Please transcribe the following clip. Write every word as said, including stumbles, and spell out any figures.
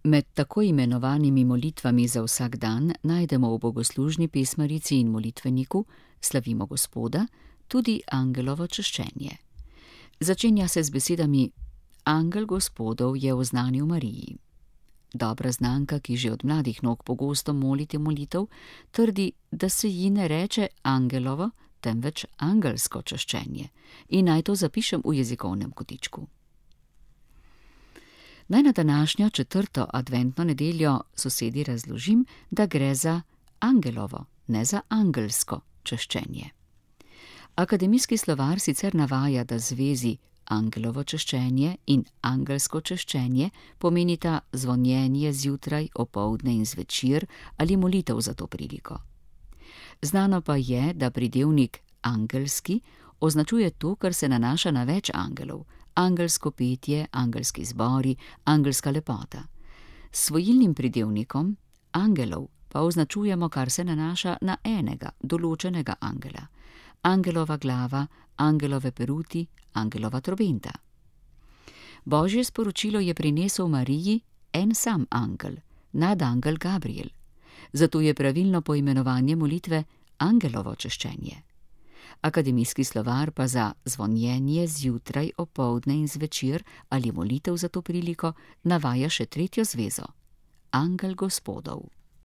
Med tako imenovanimi molitvami za vsak dan najdemo v bogoslužni pesmarici in molitveniku Slavimo Gospoda tudi angelovo čaščenje. Začenja se z besedami: Angel Gospodov je oznanil Mariji. Dobra znanka, ki že od mladih nog pogosto moli te molitev, trdi, da se ji ne reče angelovo, temveč angelsko čaščenje, in naj to zapišem v jezikovnem kotičku. Naj na današnjo četrto adventno nedeljo sosedi razložim, da gre za angelovo, ne za angelsko čaščenje. Akademijski slovar sicer navaja, da zvezi angelovo čaščenje in angelsko čaščenje pomenita zvonjenje zjutraj, opoldne in zvečer ali molitev za to priliko. Znano pa je, da pridevnik angelski označuje to, kar se nanaša na več angelov, angelsko petje, angelski zbori, angelska lepota. S svojilnim pridevnikom angelov pa označujemo, kar se nanaša na enega, določenega angela. Angelova glava, angelove peruti, angelova trobenta. Božje sporočilo je prinesel Mariji en sam angel, nadangel Gabriel. Zato je pravilno poimenovanje molitve angelovo čaščenje. Akademijski slovar pa za zvonjenje zjutraj, opoldne in zvečer ali molitev za to priliko navaja še tretjo zvezo: Angel Gospodov.